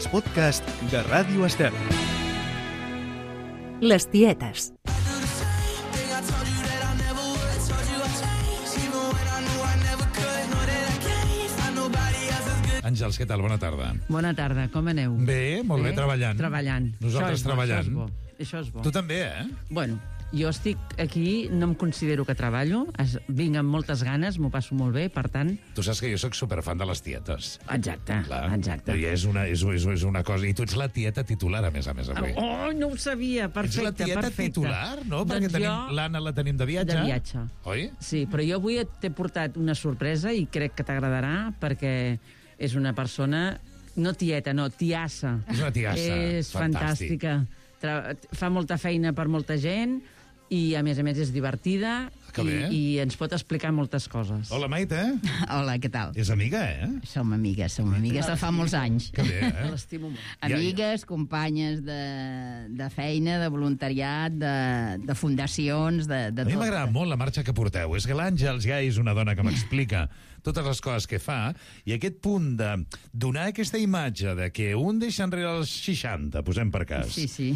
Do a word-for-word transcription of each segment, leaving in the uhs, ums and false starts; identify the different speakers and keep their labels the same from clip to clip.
Speaker 1: als podcasts de Ràdio Estel.
Speaker 2: Les tietes.
Speaker 3: Àngels, què tal? Bona tarda.
Speaker 4: Bona tarda, com aneu?
Speaker 3: Bé, molt bé, treballant.
Speaker 4: Treballant.
Speaker 3: Nosaltres
Speaker 4: Això és bo,
Speaker 3: treballant.
Speaker 4: Això és bo. Això és bo.
Speaker 3: Tu també, eh?
Speaker 4: Bueno, jo estic aquí, no em considero que treballo, es, vinc amb moltes ganes, m'ho passo molt bé, per tant...
Speaker 3: Tu saps que jo sóc superfan de les tietes.
Speaker 4: Exacte,
Speaker 3: Clar.
Speaker 4: exacte.
Speaker 3: I és una, és, és, és una cosa... I tu ets la tieta titular, a més a més, avui.
Speaker 4: Oh, no ho sabia, perfecte,
Speaker 3: Ets la tieta
Speaker 4: perfecte.
Speaker 3: titular, no? Perquè
Speaker 4: Doncs
Speaker 3: tenim
Speaker 4: jo...
Speaker 3: l'Anna la tenim de viatge.
Speaker 4: De viatge.
Speaker 3: Oi?
Speaker 4: Sí, però jo avui t'he portat una sorpresa i crec que t'agradarà perquè és una persona... No tieta, no, tiassa.
Speaker 3: És una tiassa,
Speaker 4: És
Speaker 3: fantàstic.
Speaker 4: fantàstica. Tra fa molta feina per molta gent i, a més a més, és divertida
Speaker 3: Que
Speaker 4: i,
Speaker 3: bé.
Speaker 4: i ens pot explicar moltes coses.
Speaker 3: Hola, Maite.
Speaker 5: Hola, què tal?
Speaker 3: És amiga, eh?
Speaker 5: Som amigues, som amigues de fa molts anys.
Speaker 3: Que bé, eh?
Speaker 4: L'estimo molt.
Speaker 5: Amigues, companyes de, de feina, de voluntariat, de, de fundacions, de, de
Speaker 3: A mi
Speaker 5: tot.
Speaker 3: m'agrada molt la marxa que porteu. És que l'Àngels ja és una dona que m'explica totes les coses que fa, i aquest punt de donar aquesta imatge de que un deixa enrere els seixanta, posem per cas.
Speaker 5: Sí, sí.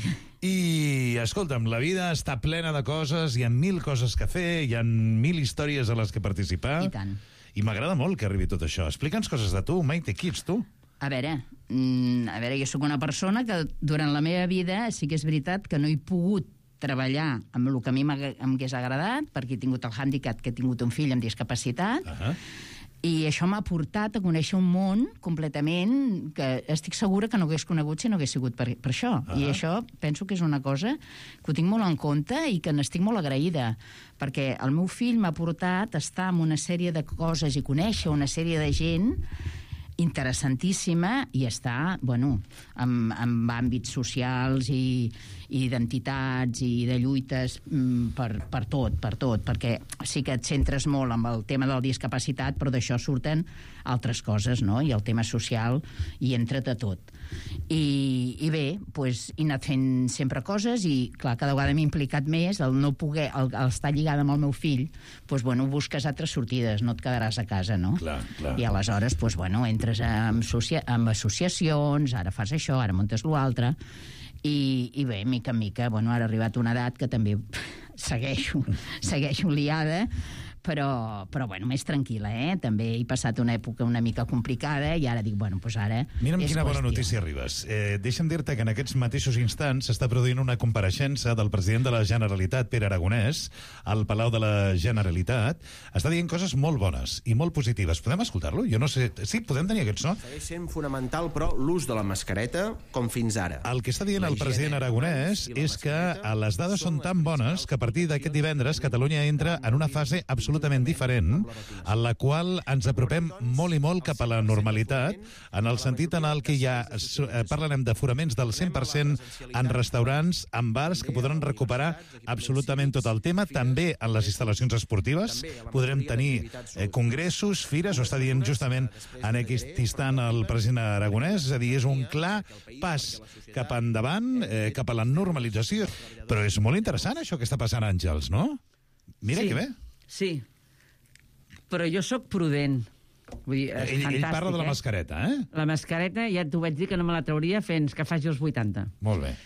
Speaker 3: I, escolta'm, la vida està plena de coses, hi ha mil coses que fer, hi ha mil històries a les que participar.
Speaker 5: I tant.
Speaker 3: I m'agrada molt que arribi tot això. Explica'ns coses de tu, Maite, qui ets tu?
Speaker 5: A veure, mm, a veure, jo sóc una persona que durant la meva vida sí que és veritat que no he pogut treballar amb el que a mi m'hagués agradat, perquè he tingut el hàndicap que he tingut un fill amb discapacitat,
Speaker 3: Uh -huh.
Speaker 5: i això m'ha portat a conèixer un món completament que estic segura que no hagués conegut si no hagués sigut per, per això.
Speaker 3: Ah.
Speaker 5: I això penso que és una cosa que ho tinc molt en compte i que n'estic molt agraïda, perquè el meu fill m'ha portat a estar en una sèrie de coses i conèixer una sèrie de gent interessantíssima i està, bueno, amb, amb àmbits socials i, i d'entitats i de lluites mm, per, per tot, per tot, perquè sí que et centres molt amb el tema de la discapacitat, però d'això surten altres coses, no? I el tema social hi entra de tot. I, i bé, pues, he anat fent sempre coses i, clar, cada vegada m'he implicat més, el no poder, el, el estar lligada amb el meu fill, pues, bueno, busques altres sortides, no et quedaràs a casa, no?
Speaker 3: Clar, clar.
Speaker 5: I aleshores, pues, bueno, entres amb, associa amb associacions, ara fas això, ara muntes l'altre, i, i bé, mica en mica, bueno, ara ha arribat una edat que també segueixo, segueixo liada, però, però bueno, més tranquil·la, eh? També he passat una època una mica complicada i ara dic, bueno, doncs ara...
Speaker 3: Mira'm
Speaker 5: és
Speaker 3: quina bona
Speaker 5: qüestió.
Speaker 3: notícia arribes. Eh, deixa'm dir-te que en aquests mateixos instants s'està produint una compareixença del president de la Generalitat, Pere Aragonès, al Palau de la Generalitat. Està dient coses molt bones i molt positives. Podem escoltar-lo? Jo no sé... Sí, podem tenir aquest so?
Speaker 6: Segueix sent fonamental, però, l'ús de la mascareta com fins ara.
Speaker 3: El que està dient el president Aragonès és que les dades són tan bones que a partir d'aquest divendres Catalunya entra en una fase absolutament diferent, en la qual ens apropem molt i molt cap a la normalitat, en el sentit en el que ja parlarem d'aforaments del cent per cent en restaurants, en bars, que podran recuperar absolutament tot el tema, també en les instal·lacions esportives. Podrem tenir eh, congressos, fires, ho està dient justament en aquest instant el president Aragonès, és a dir, és un clar pas cap endavant, eh, cap a la normalització. Però és molt interessant això que està passant, Àngels, no? Mira
Speaker 4: Sí.
Speaker 3: que bé.
Speaker 4: Sí, però jo sóc prudent. Vull dir, és
Speaker 3: Ell,
Speaker 4: fantàstic,
Speaker 3: ell parla de la
Speaker 4: eh?
Speaker 3: mascareta, eh?
Speaker 4: La mascareta, ja t'ho vaig dir que no me la trauria fins que faci els vuitanta.
Speaker 3: Molt bé.
Speaker 4: Eh,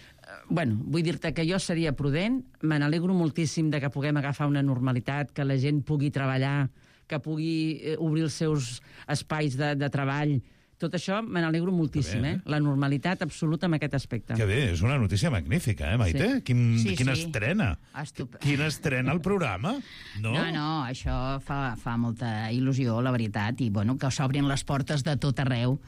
Speaker 4: Bueno, vull dir-te que jo seria prudent, me n'alegro moltíssim de que puguem agafar una normalitat, que la gent pugui treballar, que pugui eh, obrir els seus espais de, de treball. Tot això me n'alegro moltíssim,
Speaker 3: Que bé,
Speaker 4: eh? La normalitat absoluta en aquest aspecte.
Speaker 3: Que bé, és una notícia magnífica, eh, Maite?
Speaker 4: Sí.
Speaker 3: Quin,
Speaker 5: Sí,
Speaker 3: quina
Speaker 5: sí.
Speaker 3: estrena.
Speaker 5: Estup-
Speaker 3: Quina estrena al programa. No?
Speaker 5: No, no, això fa, fa molta il·lusió, la veritat, i bueno, que s'obrin les portes de tot arreu.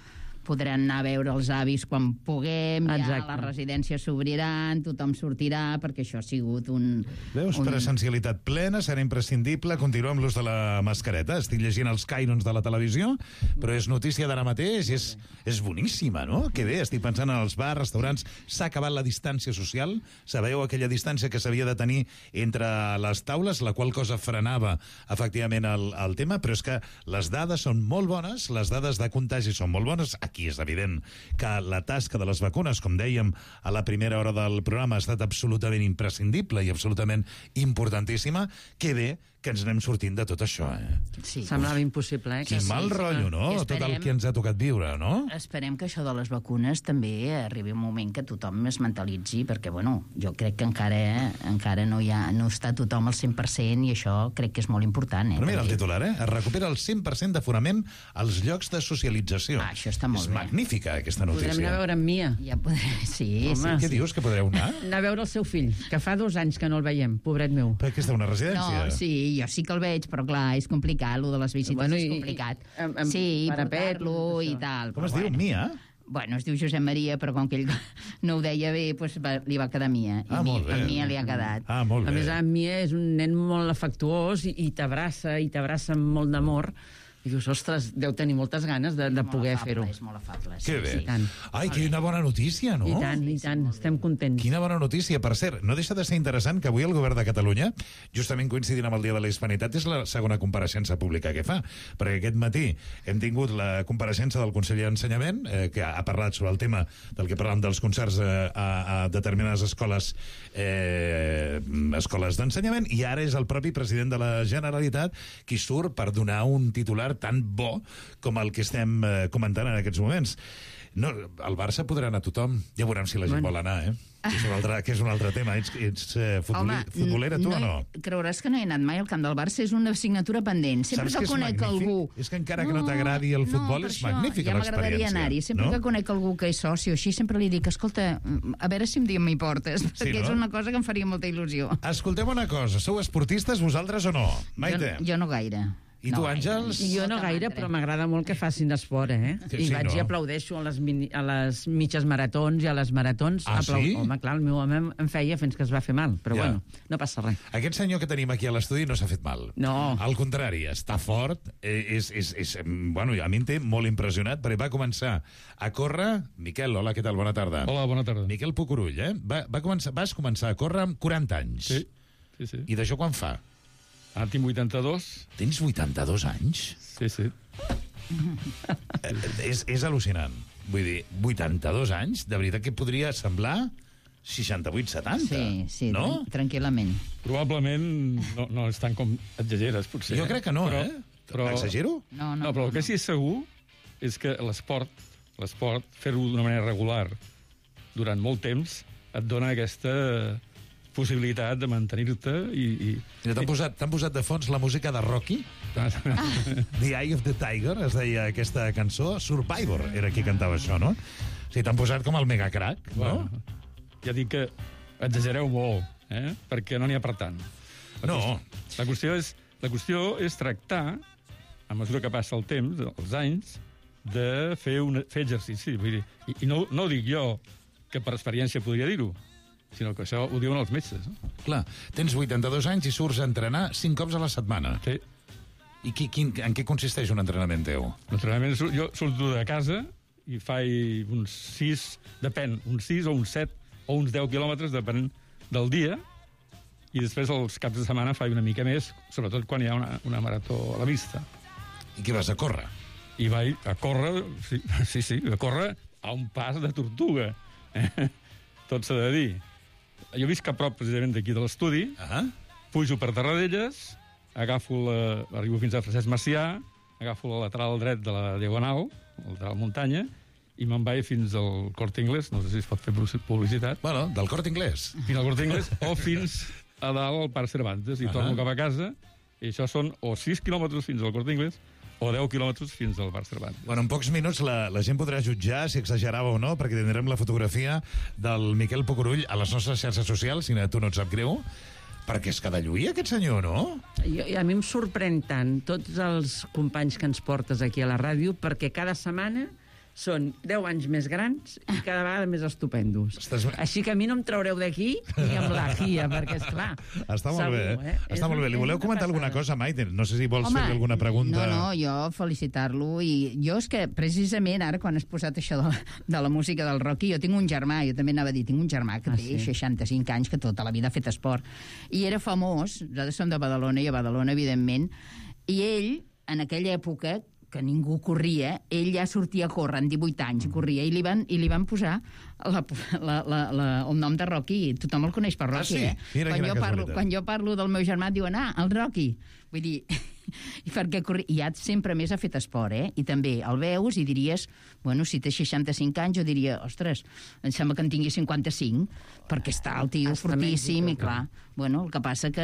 Speaker 5: Podran anar a veure els avis quan puguem, ja
Speaker 4: Exacte.
Speaker 5: les residències s'obriran, tothom sortirà, perquè això ha sigut un...
Speaker 3: Veus,
Speaker 5: un...
Speaker 3: presencialitat plena, serà imprescindible continuar amb l'ús de la mascareta. Estic llegint els cànons de la televisió, però és notícia d'ara mateix, és, és boníssima, no? Que bé, estic pensant en els bars, restaurants, s'ha acabat la distància social, sabeu aquella distància que s'havia de tenir entre les taules, la qual cosa frenava efectivament el, el tema, però és que les dades són molt bones, les dades de contagi són molt bones. Aquí és evident que la tasca de les vacunes, com dèiem a la primera hora del programa, ha estat absolutament imprescindible i absolutament importantíssima. Que bé que ens anem sortint de tot això, eh?
Speaker 5: Sí.
Speaker 4: Semblava impossible, eh?
Speaker 3: Quin
Speaker 4: Que
Speaker 3: mal
Speaker 4: sí,
Speaker 3: rotllo, no?
Speaker 5: I
Speaker 3: Tot el
Speaker 5: esperem-
Speaker 3: que ens ha tocat viure, no?
Speaker 5: Esperem que això de les vacunes també arribi un moment que tothom es mentalitzi, perquè, bueno, jo crec que encara eh, encara no hi ha, no està tothom al cent per cent i això crec que és molt important, eh?
Speaker 3: Però mira el
Speaker 5: també.
Speaker 3: titular, eh? Es recupera el cent per cent d'aforament als llocs de socialització.
Speaker 5: Ah, això està molt
Speaker 3: és
Speaker 5: bé.
Speaker 3: magnífica, aquesta
Speaker 4: Podrem
Speaker 3: notícia.
Speaker 4: anar a veure amb Mia.
Speaker 5: Ja podré... Sí,
Speaker 4: Home,
Speaker 5: sí.
Speaker 3: Què dius, que podreu anar?
Speaker 4: Anar a veure el seu fill, que fa dos anys que no el veiem, pobret meu.
Speaker 3: Per què està a una residència?
Speaker 5: No, sí, jo sí que el veig, però clar, és complicat, lo de les visites
Speaker 4: Bueno,
Speaker 5: és
Speaker 4: i-
Speaker 5: complicat.
Speaker 4: i- amb- amb
Speaker 5: sí,
Speaker 4: parapet,
Speaker 5: portar-lo
Speaker 4: tot
Speaker 5: i
Speaker 4: això.
Speaker 5: tal.
Speaker 3: Com
Speaker 5: però
Speaker 3: es diu?
Speaker 5: bueno.
Speaker 3: Mia?
Speaker 5: Bueno, es diu Josep Maria, però com que ell no ho deia bé, doncs va, li va quedar Mia. I
Speaker 3: Ah,
Speaker 5: mi,
Speaker 3: molt bé.
Speaker 5: a Mia li ha quedat.
Speaker 3: Ah, molt
Speaker 4: A
Speaker 3: bé.
Speaker 4: més, en Mia és un nen molt afectuós i, i t'abraça, i t'abraça amb molt d'amor. I dius, ostres, deu tenir moltes ganes de, de
Speaker 5: És molt
Speaker 4: poder
Speaker 5: afable,
Speaker 4: fer-ho.
Speaker 5: És molt afable, sí.
Speaker 3: Que bé.
Speaker 5: Sí.
Speaker 4: tant.
Speaker 3: Ai, quina bona notícia, no?
Speaker 4: I tant, i tant, estem contents.
Speaker 3: Quina bona notícia. Per cert, no deixa de ser interessant que avui el govern de Catalunya, justament coincidint amb el Dia de la Hispanitat, és la segona compareixença pública que fa. Perquè aquest matí hem tingut la compareixença del conseller d'Ensenyament, eh, que ha parlat sobre el tema del que parlàvem dels concerts eh, a, a determinades escoles eh, escoles d'ensenyament, i ara és el propi president de la Generalitat qui surt per donar un titular tan bo com el que estem eh, comentant en aquests moments. No, al Barça podrà anar tothom. Ja veurem si la gent
Speaker 4: Bueno.
Speaker 3: vol anar, eh? Que és un altre, que és un altre tema. Ets, ets eh, futboli, futbolera, tu
Speaker 5: no,
Speaker 3: o no?
Speaker 5: he- Creuràs que no he anat mai al camp del Barça, és una assignatura pendent. Sempre
Speaker 3: Saps
Speaker 5: que
Speaker 3: que és
Speaker 5: conec
Speaker 3: magnífic?
Speaker 5: algú...
Speaker 3: És que encara que no t'agradi el futbol,
Speaker 5: per
Speaker 3: és
Speaker 5: això,
Speaker 3: magnífica
Speaker 5: ja m'agradaria
Speaker 3: l'experiència,
Speaker 5: anar-hi. Sempre
Speaker 3: no?
Speaker 5: que conec algú que és soci o així, sempre li dic, escolta, a veure si un dia m'hi portes, perquè
Speaker 3: no?
Speaker 5: és una cosa que em faria molta il·lusió.
Speaker 3: Escolteu una cosa, sou esportistes vosaltres o no? Maite?
Speaker 5: Jo, jo no gaire.
Speaker 3: I tu,
Speaker 5: no,
Speaker 3: Àngels?
Speaker 5: gaire.
Speaker 4: Jo no gaire, però m'agrada molt que facin esport, eh?
Speaker 3: Sí,
Speaker 4: I
Speaker 3: sí,
Speaker 4: vaig
Speaker 3: no?
Speaker 4: i aplaudeixo a les, mini, a les mitges maratons i a les maratons.
Speaker 3: Ah, sí?
Speaker 4: Home, clar, el meu home em- em feia fins que es va fer mal, però
Speaker 3: Ja.
Speaker 4: bueno, no passa res.
Speaker 3: Aquest senyor que tenim aquí a l'estudi no s'ha fet mal.
Speaker 4: No.
Speaker 3: Al contrari, està fort, eh, és, és, és, mm, bueno, a mi em té molt impressionat, perquè va començar a córrer... Miquel, hola, què tal? Bona tarda.
Speaker 2: Hola, bona tarda.
Speaker 3: Miquel Pucurull, eh? Va, va començar, vas començar a córrer amb quaranta anys.
Speaker 2: Sí, sí, sí.
Speaker 3: I d'això quan fa?
Speaker 2: Ara tinc vuitanta-dos.
Speaker 3: Tens vuitanta-dos anys?
Speaker 2: Sí, sí.
Speaker 3: Eh, és, és al·lucinant. Vull dir, vuitanta-dos anys, de veritat que podria semblar seixanta-vuit setanta,
Speaker 5: Sí, sí,
Speaker 3: no?
Speaker 5: tran- tranquil·lament.
Speaker 2: Probablement no, no és tant com exageres, potser.
Speaker 3: Jo crec que no,
Speaker 2: però,
Speaker 3: eh?
Speaker 2: Però,
Speaker 3: Exagero?
Speaker 5: No, no,
Speaker 2: No, però el que sí és segur és que l'esport, l'esport, fer-ho d'una manera regular durant molt temps, et dona aquesta possibilitat de mantenir-te i... i...
Speaker 3: Mira, t'han posat, t'han posat de fons la música de Rocky, The Eye of the Tiger, es deia aquesta cançó. Survivor era qui cantava això, no? O sigui, t'han posat com el megacrack, no?
Speaker 2: Bueno, ja dic que exagereu molt, eh? Perquè no n'hi ha per tant. La
Speaker 3: No.
Speaker 2: qüestió- La qüestió és, la qüestió és tractar, a mesura que passa el temps, els anys, de fer, un, fer exercici. Vull dir, I i no, no ho dic jo, que per experiència podria dir-ho, sinó que això ho diuen els metges. No?
Speaker 3: Clar, tens vuitanta-dos anys i surts a entrenar cinc cops a la setmana.
Speaker 2: Sí.
Speaker 3: I qui, quin, en què consisteix un entrenament teu?
Speaker 2: L'entrenament, sur- jo surto de casa i faig uns sis, depèn, uns sis o uns set o uns deu quilòmetres, depèn del dia, i després els caps de setmana faig una mica més, sobretot quan hi ha una, una marató a la vista.
Speaker 3: I què vas a córrer?
Speaker 2: I vaig a córrer, sí, sí, sí, a córrer a un pas de tortuga. Eh? Tot s'ha de dir. Jo visc a prop, precisament, d'aquí de l'estudi,
Speaker 3: Ah,
Speaker 2: pujo per Terradellas, agafo la, arribo fins a Francesc Macià, agafo la lateral dret de la Diagonal, el de la muntanya, i me'n vaig fins al Corte Inglés, no sé si es pot fer publicitat,
Speaker 3: bueno, del Corte Inglés.
Speaker 2: fins al Corte Inglés, o fins a dalt al Parc Cervantes, i
Speaker 3: Ahà.
Speaker 2: torno cap a casa, i això són o sis quilòmetres fins al Corte Inglés, o deu quilòmetres fins al Parc Cervantes.
Speaker 3: Bueno, en pocs minuts la, la gent podrà jutjar si exagerava o no, perquè tindrem la fotografia del Miquel Pucurull a les nostres xarxes socials, si a tu no et sap greu, perquè és que de lluir aquest senyor, no?
Speaker 4: Jo, a mi em sorprèn tant tots els companys que ens portes aquí a la ràdio, perquè cada setmana són deu anys més grans i cada vegada més estupendos.
Speaker 3: Estàs-
Speaker 4: Així que a mi no em traureu d'aquí ni amb la guia, perquè, esclar...
Speaker 3: Està molt
Speaker 4: segur,
Speaker 3: bé, eh?
Speaker 4: És
Speaker 3: Està molt bé. Li
Speaker 4: una-
Speaker 3: voleu
Speaker 4: és una
Speaker 3: comentar alguna
Speaker 4: passada.
Speaker 3: cosa, Maite? No sé si vols fer alguna pregunta.
Speaker 5: No, no, jo felicitar-lo. I jo és que, precisament, ara, quan has posat això de la, de la música del Rocky, jo tinc un germà, jo també anava a dir, tinc un germà que
Speaker 4: Ah,
Speaker 5: té
Speaker 4: sí?
Speaker 5: seixanta-cinc anys, que tota la vida ha fet esport. I era famós, nosaltres som de Badalona, i a Badalona, evidentment, i ell, en aquella època, que ningú corria, ell ja sortia a córrer amb divuit anys, corria, i li van, i li van posar la, la, la, la, el nom de Rocky. Tothom el coneix per Rocky,
Speaker 3: ah, sí?
Speaker 5: eh?
Speaker 3: Mira,
Speaker 5: quan, jo parlo,
Speaker 3: casualitat.
Speaker 5: quan jo parlo del meu germà, diuen, ah, el Rocky. Vull dir, i perquè corri... I ja sempre més ha fet esport, eh? I també el veus i diries, bueno, si té seixanta-cinc anys, jo diria, ostres, em sembla que en tingui cinquanta-cinc, perquè està el tio
Speaker 4: Està
Speaker 5: fortíssim,
Speaker 4: més,
Speaker 5: i clar, bueno, el que passa que,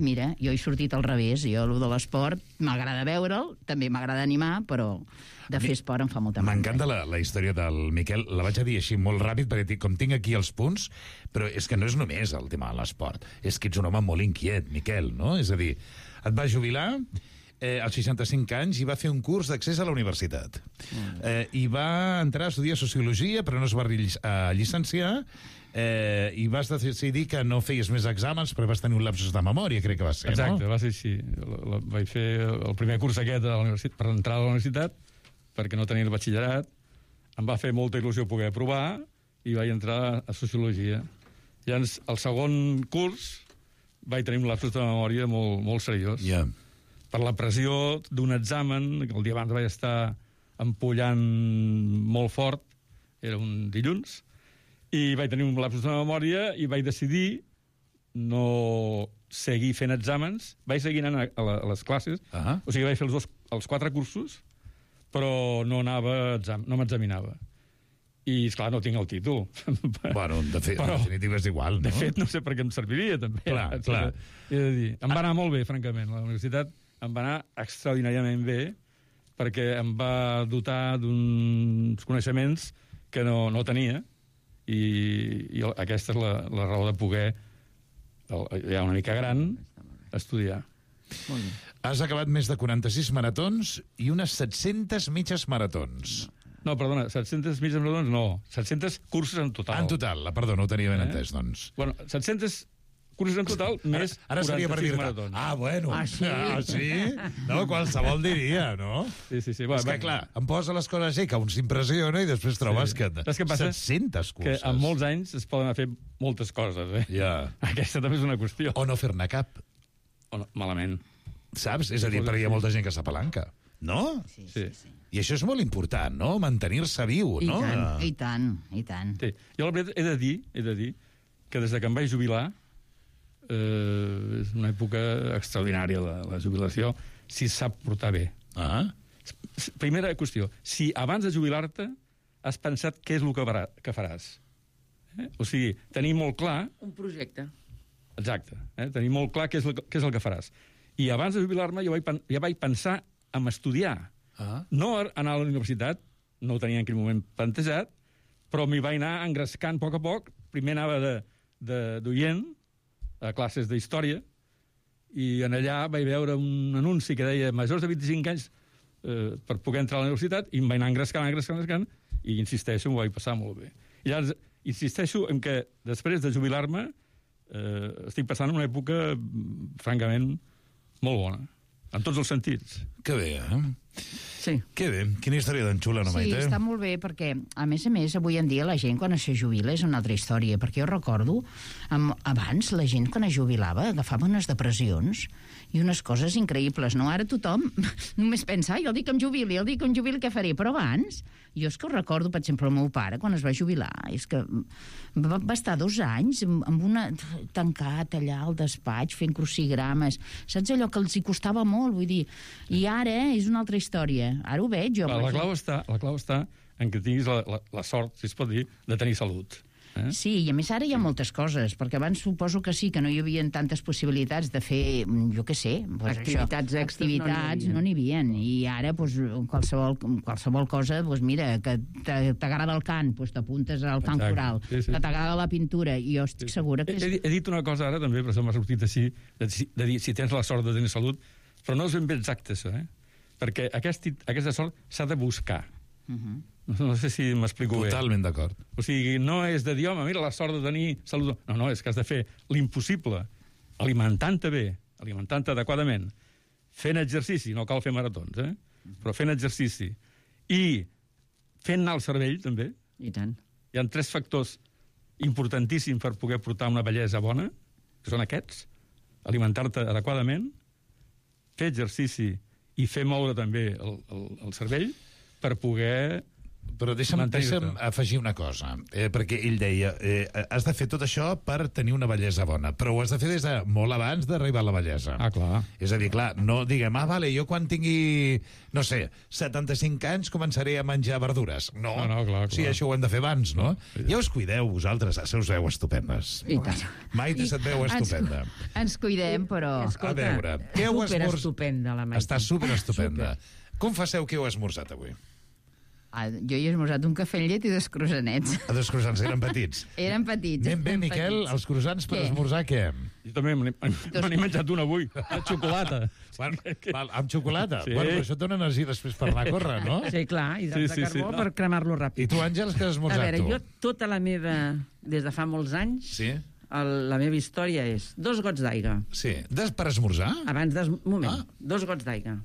Speaker 5: mira, jo he sortit al revés, jo, el de l'esport, m'agrada veure'l, també m'agrada animar, però de fer esport em fa molta mandra.
Speaker 3: M'encanta la, la història del Miquel. La vaig a dir així molt ràpid, perquè com tinc aquí els punts, però és que no és només el tema de l'esport. És que ets un home molt inquiet, Miquel, no? És a dir, et vas jubilar eh, als seixanta-cinc anys i va fer un curs d'accés a la universitat. Eh, I va entrar a estudiar Sociologia, però no es va llic a llicenciar, eh, i vas decidir que no feies més exàmens perquè vas tenir un lapsus de memòria, crec que va ser,
Speaker 2: Exacte,
Speaker 3: no?
Speaker 2: va ser així. La, la, vaig fer el primer curs aquest a la universitat, per entrar a la universitat, perquè no tenia el batxillerat. Em va fer molta il·lusió poder aprovar i vaig entrar a Sociologia. Llavors, el segon curs vaig tenir un lapsus de memòria molt, molt seriós.
Speaker 3: Ja.
Speaker 2: Per la pressió d'un examen, que el dia abans vaig estar empollant molt fort, era un dilluns, i vaig tenir un lapsus de memòria i vaig decidir no seguir fent exàmens. Vaig seguir anant a, a, a les classes,
Speaker 3: Ah.
Speaker 2: o sigui, vaig fer els, dos, els quatre cursos, però no anava a exam, no m'examinava. I, esclar, no tinc el títol.
Speaker 3: Bueno, de fet,
Speaker 2: Però,
Speaker 3: en definitiva és igual, no?
Speaker 2: De fet, no sé per què em serviria, també.
Speaker 3: Clar, clar.
Speaker 2: He de dir, em va anar molt bé, francament. La universitat em va anar extraordinàriament bé, perquè em va dotar d'uns coneixements que no, no tenia, i, i aquesta és la, la raó de poder, ja una mica gran, estudiar.
Speaker 4: Molt bé.
Speaker 3: Has acabat més de quaranta-sis maratons i unes set-centes mitges maratons.
Speaker 2: No, perdona, set-centes mitges maratons, no. set-cents cursos en total.
Speaker 3: En total, la, perdó, no ho tenia ben
Speaker 2: Eh?
Speaker 3: entès, doncs.
Speaker 2: Bueno, set-cents cursos en total, més
Speaker 3: Ara seria per
Speaker 2: quaranta-sis
Speaker 3: dir-te,
Speaker 2: maratons.
Speaker 3: ah, bueno,
Speaker 4: Ah, sí?
Speaker 3: ah, sí? No, qualsevol diria, no?
Speaker 2: Sí, sí, sí.
Speaker 3: És que, clar, em posa les coses així, que un s'impressiona i després trobes
Speaker 2: Sí.
Speaker 3: que...
Speaker 2: Saps què passa?
Speaker 3: set-centes
Speaker 2: Que
Speaker 3: curses.
Speaker 2: en molts anys es poden fer moltes coses, eh?
Speaker 3: Ja.
Speaker 2: Aquesta també és una qüestió.
Speaker 3: O no fer-ne cap,
Speaker 2: O no, malament.
Speaker 3: saps? És a dir, perquè hi ha molta gent que s'apalanca. No?
Speaker 5: Sí,
Speaker 2: Sí.
Speaker 5: sí, sí.
Speaker 3: I això és molt important, no? Mantenir-se viu,
Speaker 4: I
Speaker 3: no?
Speaker 4: tant,
Speaker 5: I tant, i tant.
Speaker 2: Sí. Jo, la veritat, he de dir, he de dir que des de que em vaig jubilar, eh, és una època extraordinària, la, la jubilació, si es sap portar bé.
Speaker 3: Ah,
Speaker 2: Primera qüestió, si abans de jubilar-te has pensat què és el que, farà, que faràs. Eh? O sigui, tenir molt clar,
Speaker 4: Un projecte.
Speaker 2: exacte, eh? tenir molt clar què és, el, què és el que faràs. I abans de jubilar-me jo vaig, pen- ja vaig pensar en estudiar.
Speaker 3: ah.
Speaker 2: No anar a la universitat, no ho tenia en aquell moment plantejat, però m'hi vaig anar engrescant a poc a poc. Primer anava de, de, d'oient a classes d'història, i en allà vaig veure un anunci que deia majors de vint-i-cinc anys eh, per poder entrar a la universitat, i em vaig anar engrescant, engrescant, engrescant, i insisteixo, m'ho vaig passar molt bé. I llavors insisteixo en que després de jubilar-me eh, estic passant una època mm, francament molt bona, en tots els sentits.
Speaker 3: Que bé, eh?
Speaker 4: Sí.
Speaker 3: Que bé. Quina història d'en Xula, no,
Speaker 5: Sí,
Speaker 3: Maite?
Speaker 5: està molt bé, perquè, a més a més, avui en dia la gent quan es jubila és una altra història, perquè jo recordo, amb, abans la gent quan es jubilava agafava unes depressions i unes coses increïbles, no? Ara tothom només pensa, ai, el dia que em jubili, el dia que em jubili què faré? Però abans, jo és que ho recordo, per exemple, el meu pare, quan es va jubilar, és que va, va estar dos anys amb, amb una... tancat allà al despatx, fent crucigrames, saps allò que els hi costava molt, vull dir, i ara és una altra història. Ara ho veig, jo.
Speaker 2: La,
Speaker 5: amb
Speaker 2: la,
Speaker 5: gent.
Speaker 2: clau està, la clau està en que tinguis la, la, la sort, si es pot dir, de tenir salut. Eh?
Speaker 5: Sí, i a més ara hi ha moltes coses, perquè abans suposo que sí, que no hi havia tantes possibilitats de fer, jo què sé, pues
Speaker 4: Activitats
Speaker 5: això,
Speaker 4: extres no n'hi
Speaker 5: activitats
Speaker 4: havia.
Speaker 5: no n'hi havia, i ara pues, qualsevol, qualsevol cosa, pues, mira, que t'a- t'agrada el cant, pues, t'apuntes al cant
Speaker 2: Exacte.
Speaker 5: coral,
Speaker 2: Sí, sí.
Speaker 5: que t'agrada la pintura, i jo estic segura que
Speaker 2: He,
Speaker 5: és...
Speaker 2: he, he dit una cosa ara també, però se m'ha sortit així, de, de dir si tens la sort de tenir salut, però no és ben bé exacte això, eh? Perquè aquest, aquesta sort s'ha de buscar.
Speaker 5: Uh -huh.
Speaker 2: No, no sé si m'explico bé.
Speaker 3: Totalment d'acord.
Speaker 2: O sigui, no és de dir, home, mira, la sort de tenir salut. No, no, és que has de fer l'impossible, alimentant-te bé, alimentant-te adequadament, fent exercici, no cal fer maratons, eh? Però fent exercici, i fent anar el cervell, també.
Speaker 4: I tant.
Speaker 2: Hi ha tres factors importantíssims per poder portar una bellesa bona, que són aquests: alimentar-te adequadament, fer exercici i fer moure també el, el, el cervell per poder...
Speaker 3: Però deixa'm,
Speaker 2: mantenir-te.
Speaker 3: deixa'm afegir una cosa, eh, perquè ell deia, eh, has de fer tot això per tenir una bellesa bona, però ho has de fer des de molt abans d'arribar a la bellesa.
Speaker 2: Ah, clar.
Speaker 3: És a dir, clar, no diguem, ah, vale, jo quan tingui, no sé, setanta-cinc anys començaré a menjar verdures. No,
Speaker 2: No, no, clar, clar.
Speaker 3: Sí, això ho hem de fer abans, no? Ja us cuideu, vosaltres, se us veu estupendes.
Speaker 4: I tant.
Speaker 3: Maite se't veu estupenda.
Speaker 5: Ens, ens cuidem, però...
Speaker 3: A veure, què heu esmorzat?
Speaker 4: Superestupenda, la Maite.
Speaker 3: Està superestupenda. Com passeu que heu esmorzat avui?
Speaker 5: Ah, jo hi he esmorzat un cafè amb llet i dos croissanets.
Speaker 3: A dos croissants, eren petits.
Speaker 5: Eren petits.
Speaker 3: Ben bé,
Speaker 5: eren
Speaker 3: Miquel,
Speaker 5: petits.
Speaker 3: els croissants per
Speaker 5: Què?
Speaker 3: esmorzar, què?
Speaker 2: Jo també me n'he me n'he menjat un avui, de xocolata.
Speaker 3: Bueno, val, amb xocolata?
Speaker 2: Sí.
Speaker 3: Bueno, però això et dona energia després per anar a córrer, no?
Speaker 4: Sí, clar, hidrats
Speaker 2: Sí, sí,
Speaker 4: de
Speaker 2: sí,
Speaker 4: carbó
Speaker 2: no.
Speaker 4: per cremar-lo
Speaker 3: I
Speaker 4: ràpid.
Speaker 3: tu, Àngels, què has
Speaker 4: A
Speaker 3: esmorzat,
Speaker 4: veure,
Speaker 3: tu?
Speaker 4: jo tota la meva... Des de fa molts anys,
Speaker 3: Sí?
Speaker 4: el, la meva història és dos gots d'aigua.
Speaker 3: Sí. Des per esmorzar?
Speaker 4: Abans des... Moment,
Speaker 3: Ah.
Speaker 4: dos gots d'aigua.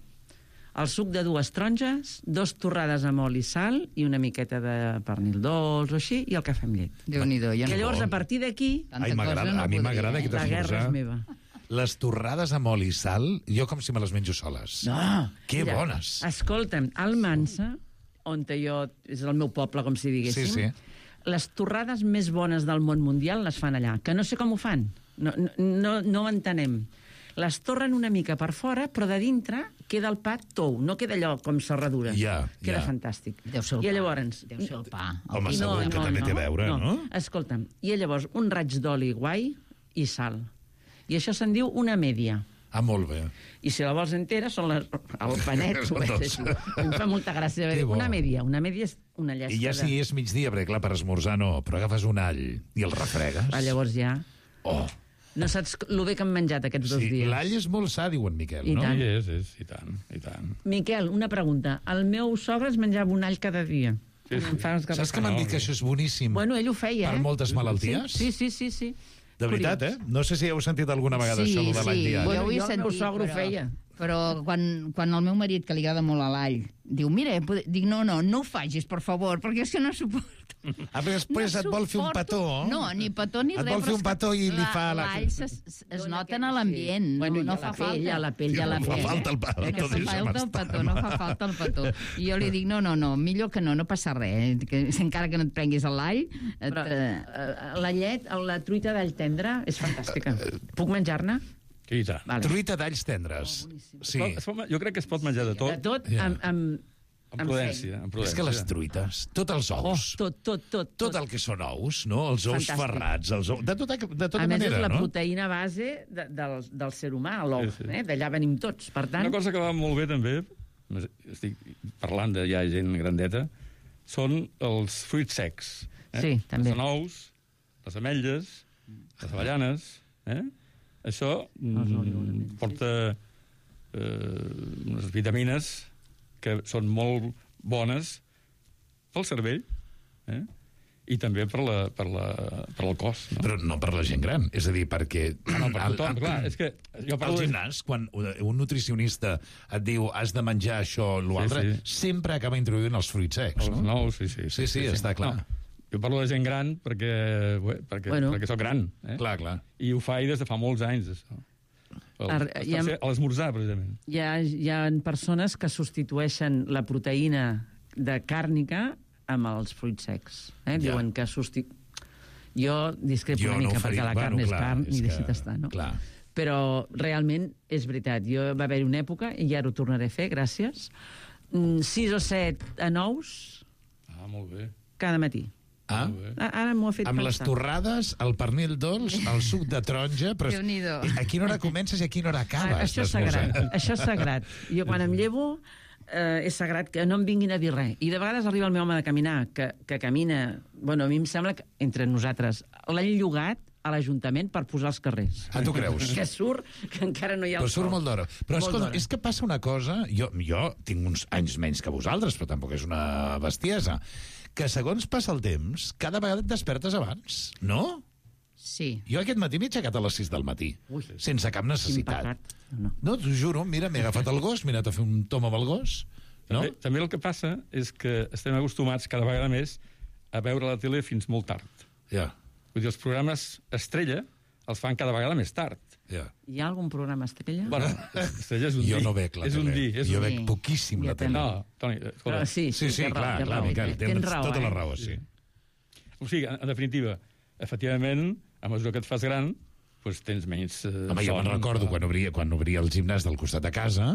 Speaker 4: El suc de dues taronges, dos torrades amb oli i sal i una miqueta de pernil dolç o així, i el cafè amb llet.
Speaker 5: Déu-n'hi-do, jo
Speaker 4: Que
Speaker 5: no...
Speaker 4: llavors, a partir d'aquí,
Speaker 5: Tanta
Speaker 3: Ai, m'agrada,
Speaker 5: cosa no
Speaker 3: a mi
Speaker 5: podria,
Speaker 3: m'agrada
Speaker 5: eh?
Speaker 3: aquest
Speaker 4: la guerra és
Speaker 3: esmorzar.
Speaker 4: meva.
Speaker 3: Les torrades amb oli i sal, jo com si me les menjo soles.
Speaker 4: No!
Speaker 3: Que bones!
Speaker 4: Escolta'm, al Mansa, on jo... és el meu poble, com si diguéssim,
Speaker 3: Sí, sí.
Speaker 4: les torrades més bones del món mundial les fan allà, que no sé com ho fan. No, no, no, no ho entenem. Les torren una mica per fora, però de dintre queda el pa tou, no queda allò com serradures.
Speaker 3: Ja,
Speaker 4: Queda
Speaker 3: ja.
Speaker 4: fantàstic.
Speaker 5: Deu ser el
Speaker 4: I
Speaker 5: pa.
Speaker 4: llavors...
Speaker 5: Deu ser el pa. El
Speaker 3: Home,
Speaker 5: pa.
Speaker 3: segur que també té a veure, no?
Speaker 4: Escolta'm, i llavors un raig d'oli guai i sal. I això se'n diu una mèdia.
Speaker 3: Ah, molt bé.
Speaker 4: I si la vols entera, són les... el panet, ho veig així. Em fa molta gràcia.
Speaker 3: Que bo.
Speaker 4: Una mèdia, una mèdia és una llesta
Speaker 3: I ja
Speaker 4: de...
Speaker 3: si és migdia, perquè clar, per esmorzar no, però agafes un all i el refregues.
Speaker 4: Ah, llavors ja...
Speaker 3: Oh,
Speaker 4: No saps lo bé que hem menjat aquests dos
Speaker 3: sí,
Speaker 4: dies.
Speaker 3: l'all és molt sa, diu en Miquel,
Speaker 4: I
Speaker 3: no?
Speaker 4: tant.
Speaker 2: I és, és, i tant, i tant.
Speaker 4: Miquel, una pregunta. El meu sogre es menjava un all cada dia.
Speaker 2: Sí, sí.
Speaker 4: Em fa uns
Speaker 3: Saps que m'han dit que això és boníssim?
Speaker 4: Bueno, ell ho feia,
Speaker 3: Per
Speaker 4: eh?
Speaker 3: moltes malalties?
Speaker 4: Sí, sí, sí, sí.
Speaker 3: De veritat, eh? No sé si heu sentit alguna vegada
Speaker 5: Sí,
Speaker 3: això, lo de l'all
Speaker 5: sí.
Speaker 3: diari.
Speaker 5: Bueno,
Speaker 4: Jo,
Speaker 5: ho he
Speaker 4: jo el meu
Speaker 5: sentit,
Speaker 4: sogre ho
Speaker 5: però-
Speaker 4: feia.
Speaker 5: Però quan, quan el meu marit, que li agrada molt a l'all, diu, mira, pod- dic, no, no, no ho facis, per favor, perquè és que no suporto.
Speaker 3: Ah, però després
Speaker 5: no
Speaker 3: et vol fer un
Speaker 5: suporto.
Speaker 3: petó.
Speaker 5: No, ni petó ni
Speaker 3: Et
Speaker 5: res.
Speaker 3: vol fer
Speaker 5: però
Speaker 3: un
Speaker 5: és que
Speaker 3: petó i li fa la-
Speaker 5: L'all es, es nota en l'ambient,
Speaker 4: Bueno,
Speaker 5: no,
Speaker 4: i
Speaker 5: no
Speaker 4: a
Speaker 5: fa
Speaker 4: la pell,
Speaker 5: falta.
Speaker 4: a la pell, a la
Speaker 3: No fa
Speaker 4: pell.
Speaker 3: falta el petó,
Speaker 5: No fa
Speaker 3: deixa'm
Speaker 5: falta el
Speaker 3: estar,
Speaker 5: petó, no fa falta el petó. I jo li dic, no, no, no, millor que no, no passa res, que encara que no et prenguis l'all... et,
Speaker 4: Però,
Speaker 5: eh,
Speaker 4: eh, la llet, la truita d'all tendre és fantàstica. Puc menjar-ne?
Speaker 2: I tant.
Speaker 4: Vale.
Speaker 3: Truita d'alls tendres. Sí.
Speaker 2: Es pot, jo crec que es pot menjar de
Speaker 4: De
Speaker 2: tot,
Speaker 4: tot,
Speaker 3: Ja.
Speaker 4: amb... amb
Speaker 2: amb prudència. Amb
Speaker 3: És
Speaker 2: prudència.
Speaker 3: que les truites, tots els
Speaker 4: Oh,
Speaker 3: ous,
Speaker 4: tot, tot, tot.
Speaker 3: tot el que són ous, no? Els ous
Speaker 4: Fantàstic.
Speaker 3: ferrats, els ous... De tota, de tota
Speaker 4: A més,
Speaker 3: manera,
Speaker 4: és la
Speaker 3: no?
Speaker 4: proteïna base de, del, del ser humà, l'ou.
Speaker 2: Sí, sí.
Speaker 4: Eh? D'allà venim tots. Per tant,
Speaker 2: Una cosa que va molt bé, també, estic parlant de ja gent grandeta, són els fruits secs. Eh?
Speaker 4: Sí, també.
Speaker 2: Els nous, les ametlles, les avellanes, eh? Això mm, porta eh, unes vitamines que són molt bones pel cervell, eh? I també per, la, per, la, per el cos. No?
Speaker 3: Però no per la gent gran, és a dir, perquè...
Speaker 2: Ah, no, per tothom, clar. És que jo
Speaker 3: Al
Speaker 2: parlo de-
Speaker 3: gimnàs, quan un nutricionista et diu has de menjar això o l'altre,
Speaker 2: Sí,
Speaker 3: sí, sempre acaba introduint els fruits secs,
Speaker 2: Els
Speaker 3: no?
Speaker 2: nous, sí, sí.
Speaker 3: Sí, sí, està clar.
Speaker 2: No, jo parlo de gent gran perquè, bé, perquè,
Speaker 4: Bueno.
Speaker 2: bueno. perquè sóc gran. Eh?
Speaker 3: Clar, clar.
Speaker 2: I ho faig des de fa molts anys, això. El,
Speaker 4: Ar-
Speaker 2: el,
Speaker 4: ja-
Speaker 2: tercer- a l'esmorzar, precisament.
Speaker 4: hi ha, hi ha persones que substitueixen la proteïna de càrnica amb els fruits secs. Eh?
Speaker 3: Ja.
Speaker 4: Diuen que substitu... Jo discrepo
Speaker 3: Jo
Speaker 4: una
Speaker 3: no ho
Speaker 4: mica,
Speaker 3: faria.
Speaker 4: perquè la
Speaker 3: Bueno,
Speaker 4: carn és
Speaker 3: clar,
Speaker 4: carn
Speaker 3: és
Speaker 4: i
Speaker 3: que-
Speaker 4: deixa't estar, no?
Speaker 3: clar.
Speaker 4: Però realment és veritat. Jo va haver una època, i ara ho tornaré a fer, gràcies, mm, sis o set a nous
Speaker 2: Ah, molt bé.
Speaker 4: cada matí.
Speaker 3: Ah?
Speaker 2: Molt bé.
Speaker 4: A- Ara m'ho ha fet
Speaker 3: Amb les
Speaker 4: pensar.
Speaker 3: torrades, el pernil dolç, el suc de taronja... Però
Speaker 5: Déu-n'hi-do.
Speaker 3: a quina hora comences i a quina hora acabes?
Speaker 4: Ah, això és
Speaker 3: d'esmorzar?
Speaker 4: sagrat, això és sagrat. Jo quan em llevo eh, és sagrat que no em vinguin a dir res. I de vegades arriba el meu home de caminar, que, que camina... Bueno, a mi em sembla que entre nosaltres l'han llogat a l'Ajuntament per posar als carrers.
Speaker 3: Ah, tu creus?
Speaker 4: Que surt, que encara no hi ha el
Speaker 3: Però surt
Speaker 4: sol.
Speaker 3: molt d'hora. Però
Speaker 4: Molt
Speaker 3: escolta,
Speaker 4: d'hora.
Speaker 3: és que passa una cosa... Jo, jo tinc uns anys menys que vosaltres, però tampoc és una bestiesa, que segons passa el temps, cada vegada et despertes abans, no?
Speaker 5: Sí.
Speaker 3: Jo aquest matí m'he aixecat a les sis del matí,
Speaker 4: Ui.
Speaker 3: sense cap
Speaker 4: Quin
Speaker 3: necessitat.
Speaker 4: pecat. No.
Speaker 3: No, t'ho juro, mira, m'he agafat el gos, m'he anat a fer un tom amb el gos, no?
Speaker 2: També, també el que passa és que estem acostumats cada vegada més a veure la tele fins molt tard.
Speaker 3: Ja.
Speaker 2: Vull dir, els programes estrella els fan cada vegada més tard.
Speaker 3: Ja.
Speaker 4: Hi ha algun programa estrella?
Speaker 2: Bueno, estrella és un
Speaker 3: Jo
Speaker 2: dir.
Speaker 3: no veig la
Speaker 2: és un
Speaker 3: tele.
Speaker 2: dir, és
Speaker 3: Jo
Speaker 2: un
Speaker 3: veig
Speaker 5: dir.
Speaker 3: poquíssim la
Speaker 5: Jo
Speaker 3: tele.
Speaker 5: també.
Speaker 2: No, Toni, escolta.
Speaker 4: Però sí,
Speaker 3: Sí, sí,
Speaker 4: té raó,
Speaker 3: clar,
Speaker 4: té
Speaker 3: clar,
Speaker 4: raó,
Speaker 3: Miquel,
Speaker 4: tens
Speaker 3: tens
Speaker 4: raó,
Speaker 3: tota
Speaker 4: eh?
Speaker 3: la raó, sí.
Speaker 2: O sigui, en, en definitiva, efectivament, a mesura que et fas gran, doncs tens menys eh,
Speaker 3: Home, jo me'n
Speaker 2: son,
Speaker 3: recordo
Speaker 2: clar.
Speaker 3: quan obria, quan obria el gimnàs del costat de casa,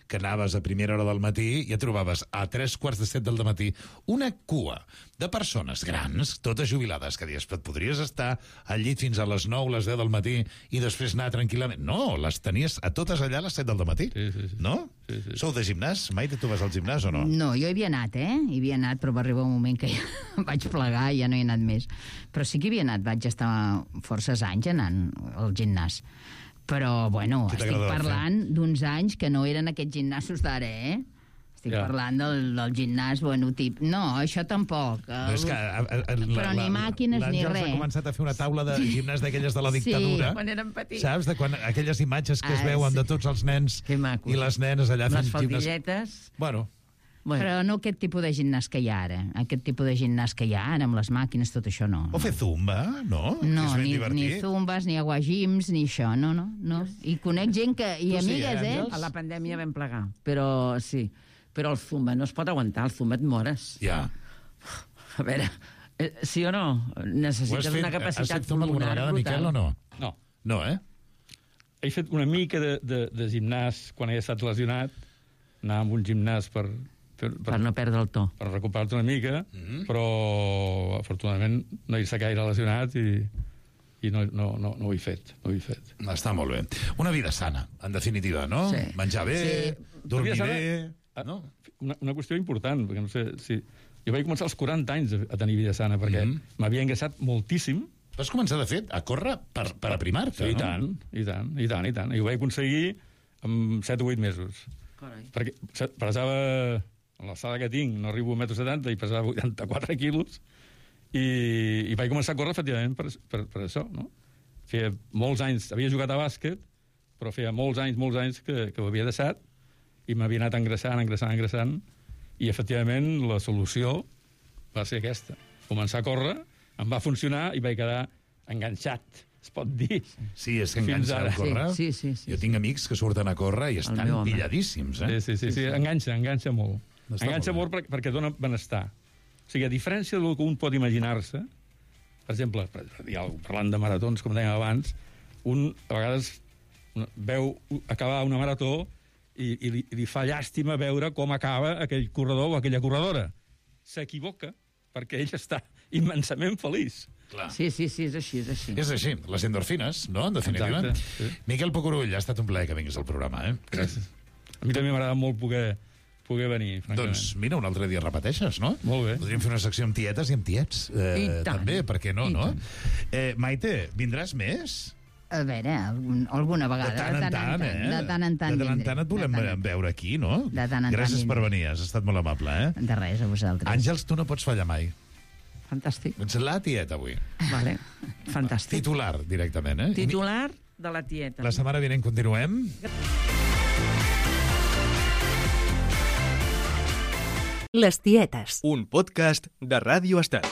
Speaker 3: que anaves a primera hora del matí i et trobaves a tres quarts de set del matí una cua de persones grans, totes jubilades, que dius, et podries estar al llit fins a les nou, les deu del matí i després anar tranquil·lament. No, les tenies a totes allà a les set del matí.
Speaker 2: Sí, sí, sí.
Speaker 3: No?
Speaker 2: Sí, sí.
Speaker 3: Sou de gimnàs? Mai tu vas al gimnàs o no?
Speaker 5: No, jo hi havia anat, eh? Hi havia anat, però va arribar un moment que ja vaig plegar i ja no hi he anat més. Però sí que hi havia anat, vaig estar forces anys anant al gimnàs. Però, bueno,
Speaker 3: Què
Speaker 5: estic
Speaker 3: t'agradava
Speaker 5: parlant d'uns anys que no eren aquests gimnasos d'ara, eh? Estic
Speaker 2: Ja.
Speaker 5: parlant del, del gimnàs, bueno, tip... No, això tampoc.
Speaker 3: No, és que, a, a, a,
Speaker 5: Però ni màquines ni
Speaker 3: l'Àngels
Speaker 5: res.
Speaker 3: ha començat a fer una taula de gimnàs d'aquelles de la dictadura.
Speaker 4: Quan érem petits.
Speaker 3: Saps? De quan aquelles imatges que es
Speaker 5: Ah,
Speaker 3: veuen
Speaker 5: sí.
Speaker 3: de tots els nens
Speaker 4: Que macos.
Speaker 3: i les nenes allà
Speaker 4: Les
Speaker 3: fent gimnàs.
Speaker 4: faldilletes...
Speaker 3: Bueno,
Speaker 4: Bueno,
Speaker 5: Però no aquest tipus de gimnàs que hi ha ara. Aquest tipus de gimnàs que hi ha ara, amb les màquines, tot això no.
Speaker 3: o fer zumba, no? Que
Speaker 5: No,
Speaker 3: és ben
Speaker 5: ni, ni
Speaker 3: divertit.
Speaker 5: zumbas, ni aguagims, ni això, no, no, no. I conec gent que... I
Speaker 3: Tu sí,
Speaker 5: amigues,
Speaker 3: eh,
Speaker 5: eh?
Speaker 3: Àngels?
Speaker 4: a la pandèmia vam plegar, però sí. Però el zumba no es pot aguantar, el zumba et mores.
Speaker 3: Ja.
Speaker 4: A veure, eh, sí o no?
Speaker 3: Ho has
Speaker 4: Necessites
Speaker 3: fet,
Speaker 4: una
Speaker 3: has
Speaker 4: capacitat
Speaker 3: fet zumba alguna
Speaker 4: pulmonar
Speaker 3: vegada,
Speaker 4: brutal.
Speaker 3: Miquel, o no?
Speaker 2: No.
Speaker 3: No, eh?
Speaker 2: He fet una mica de, de, de gimnàs quan he estat lesionat, anar a un gimnàs per, per, per,
Speaker 4: Per no perdre el to.
Speaker 2: per recuperar-te una mica, mm. però afortunadament no he estat gaire lesionat i, i no, no, no, no ho he fet. No ho he fet.
Speaker 3: Està molt bé. Una vida sana, en definitiva, no?
Speaker 4: Sí.
Speaker 3: Menjar bé,
Speaker 4: Sí.
Speaker 3: dormir
Speaker 2: Una vida
Speaker 3: bé...
Speaker 2: sana,
Speaker 3: No?
Speaker 2: Una, una qüestió important, perquè no sé si... Jo vaig començar als quaranta anys a, a tenir vida sana, perquè
Speaker 3: Mhm.
Speaker 2: m'havia engreixat moltíssim.
Speaker 3: Vas començar, de fet, a córrer per, per aprimar-te,
Speaker 2: I
Speaker 3: no?
Speaker 2: tant, i tant, i tant, i tant. I ho vaig aconseguir en set o vuit mesos.
Speaker 4: Carai.
Speaker 2: Perquè se- pesava... A l'alçada que tinc, no arribo a un metro setanta i pesava vuitanta-quatre quilos, i, i vaig començar a córrer, efectivament, per, per, per això, no? Feia molts anys... Havia jugat a bàsquet, però feia molts anys, molts anys que, que ho havia deixat, i m'havia anat engreixant, engreixant, engreixant, i, efectivament, la solució va ser aquesta. Començar a córrer, em va funcionar i vaig quedar enganxat, es pot dir.
Speaker 3: Sí, és que
Speaker 2: Fins
Speaker 3: enganxa
Speaker 2: ara.
Speaker 3: a córrer.
Speaker 4: Sí, sí, sí,
Speaker 3: Jo
Speaker 4: sí.
Speaker 3: tinc amics que surten a córrer i estan
Speaker 4: meu home.
Speaker 3: pilladíssims, eh?
Speaker 2: Sí, sí, sí, sí, enganxa, enganxa molt.
Speaker 3: Està
Speaker 2: Enganxa
Speaker 3: molt
Speaker 2: molt perquè, perquè dona benestar. O sigui, a diferència del que un pot imaginar-se, per exemple, per dir alguna cosa, parlant de maratons, com dèiem abans, un a vegades una- veu acabar una marató i, i, li, i li fa llàstima veure com acaba aquell corredor o aquella corredora. S'equivoca perquè ell està immensament feliç.
Speaker 3: Clar.
Speaker 4: Sí, sí, sí, és així, és així.
Speaker 3: És així, les endorfines, no?, en definitiva.
Speaker 2: Exacte, sí.
Speaker 3: Miquel Pocorull, ha estat un plaer que vinguis al programa, eh?
Speaker 2: Gràcies. A mi també m'agrada molt poder, poder venir, francament.
Speaker 3: Doncs mira, un altre dia repeteixes, no?
Speaker 2: Molt bé.
Speaker 3: Podríem fer una secció amb tietes i amb tiets. Eh,
Speaker 4: I tant.
Speaker 3: també, per què no,
Speaker 4: I
Speaker 3: no?
Speaker 4: tant.
Speaker 3: Eh, Maite, vindràs més?
Speaker 5: A veure, algun, alguna
Speaker 3: De
Speaker 5: vegada.
Speaker 3: tant en tant, eh?
Speaker 5: De tant en tant
Speaker 3: De tant en
Speaker 5: vindré.
Speaker 3: tant et volem
Speaker 5: De tant en tant.
Speaker 3: veure aquí, no?
Speaker 5: De tant en tant
Speaker 3: Gràcies per
Speaker 5: vindré.
Speaker 3: venir, has estat molt amable, eh?
Speaker 5: De res, a vosaltres.
Speaker 3: Àngels, tu no pots fallar mai.
Speaker 4: Fantàstic.
Speaker 3: Ets la tieta, avui.
Speaker 4: Vale. Fantàstic.
Speaker 3: Titular, directament, eh?
Speaker 4: Titular de la tieta.
Speaker 3: La setmana vinent continuem.
Speaker 1: Les tietes. Un podcast de Ràdio Estat.